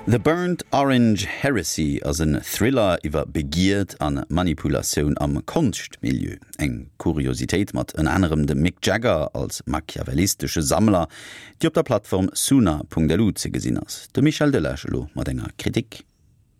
The Burnt Orange Heresy ass en Thriller iwwer Begierd a Manipulatioun am Konschtmilieu. Eng Kuriositéit mat ënner anerem dem Mick Jagger als machiavellistesche Sammler, déi op der Plattform Soona.lu ze gesinn ass. De Michel Delage elo mat enger Kritik.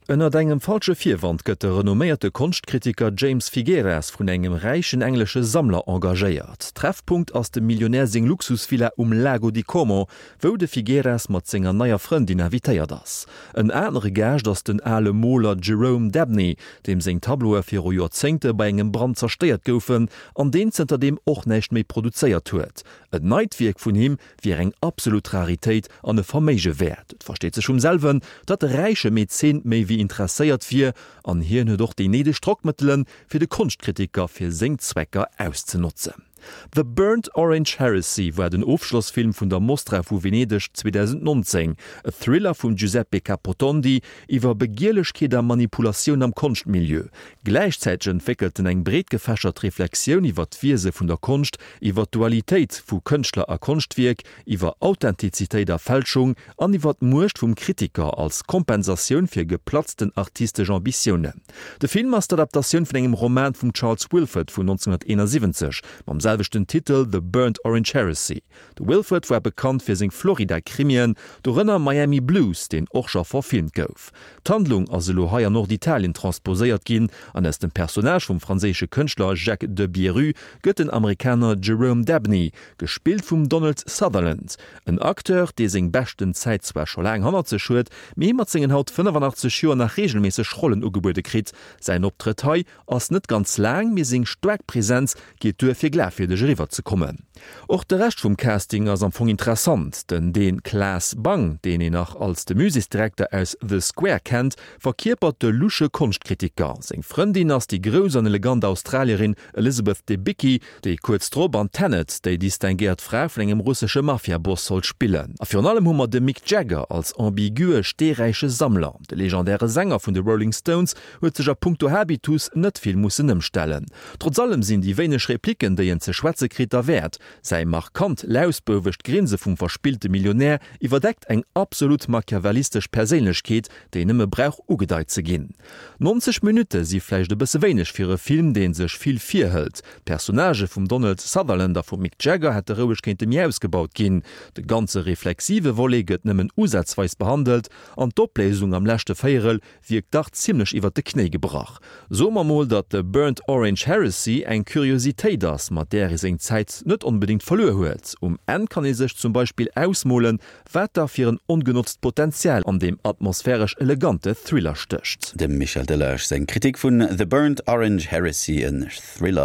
Ënnert engem falsche Virwand gëtt de renomméierte Konschtkritiker James Figueras vun engem räichen englesche Sammler engagéiert. Treffpunkt ass dem Millionär seng Luxusvilla um Lago di Como, wou de Figueras mat senger neier Frëndin invitéiert ass. En anere Gaascht ass den ale Moler Jerome Dabney, deem seng Tableaue viru Joerzéngte bei engem Brand zerstéiert goufen an deen zënterdeem och näischt méi produzéiert huet. En neit Wierk vun him wier eng absolut Raritéit an e Verméige wäert. Et versteet sech vum selwen, datt de räiche Mäzen méi wéi interesséiert wier, an hien huet och déi néideg Drockmëttelen, fir de Konschtkritiker fir seng Zwecker auszenotzen. The Burnt Orange Heresy war den Ofschlossfilm vun der Mostra vu Venedeg 2019, e Thriller vum Giuseppe Capotondi iwwer Begierlechkeet a Manipulatioun am Konschtmilieu. Gläichzäiteg entwéckelt en eng breetgefächert Reflexioun iwwer d'Wiese vun der Konscht, iwwer d'Dualitéit vu Kënschtler a Konschtwierk, iwwer Authentizitéit a Fälschung an iwwer d'Muecht vum Kritiker als Kompensatioun fir geplatzten artistesch Ambitiounen. De Film ass d'Adaptatioun vun engem Roman vum Charles Willeford vun 1971 mam selwechten Titel The Burnt Orange Heresy. De Willeford war bekannt fir seng Florida-Krimien, dorënner Miami Blues, deen och scho verfilmt gouf. D'Handlung ass elo hei an Norditalien transposéiert ginn an aus dem Personnage vum franséische Kënschtler Jacques Debierue gëtt den Amerikaner Jerome Dabney, gespillt vum Donald Sutherland, en Acteur, dee seng beschten Zäit zwar scho laang hannert sech huet, mee mat sengen haut 85 Joer nach reegelméisseg Rollen ugebuede kritt. Säin Optrëtt hei ass net ganz laang, mee seng staark Presenz geet duer fir glafwierdeg eriwwer ze kommen. Och de Rescht vum Casting ass am Fong interessant, den Dän Claes Bang, deen een nach als de Muséesdirekter aus The Square kennt, verkierpert de lusche Konschtkritiker. Seng Frëndin ass déi grouss an elegant Australierin Elizabeth Debicki, déi kuerz drop an Tenet déi distinguéiert Fra vun engem russesche Mafiaboss sollt spillen. A virun allem hu mer de Mick Jagger als ambigue, steeräiche Sammler. De legendäre Sänger vun de Rolling Stones huet sech a punkto Habitus net vill mussen ëmstellen. Trotz allem sinn déi wéineg Replicken, déi en ze schwätze kritt, derwäert. Säi markant lausbouwegt Grinse vum verspillte Millionär iwwerdeckt eng absolut machiavellistesch Perséinlechkeet, déi nëmme brauch ugedeit ze ginn. 90 Minutte si vläicht e bësse wéineg fir e Film, dee sech vill virhëlt. D'Personnagë vum Donald Sutherland a vum Mick Jagger hätte roueg kéinte méi ausgebaut ginn. De ganze reflexive Volet gëtt nëmmen usazweis behandelt an d'Opléisung am leschte Véierel wierkt dach zimmlech iwwert de Knéi gebrach. Soe mer mol, datt The Burnt Orange Heresy eng Kuriositéit ass, mat där ee seng Zäit net onbedéngt verluer huet. Um Enn kann ee sech zum Beispill ausmolen, wat da fir en ongenotzt Potenzial an deem atmosphäresch elegante Thriller stécht. Dem Michel Delage seng Kritik vun The Burnt Orange Heresy, en Thriller.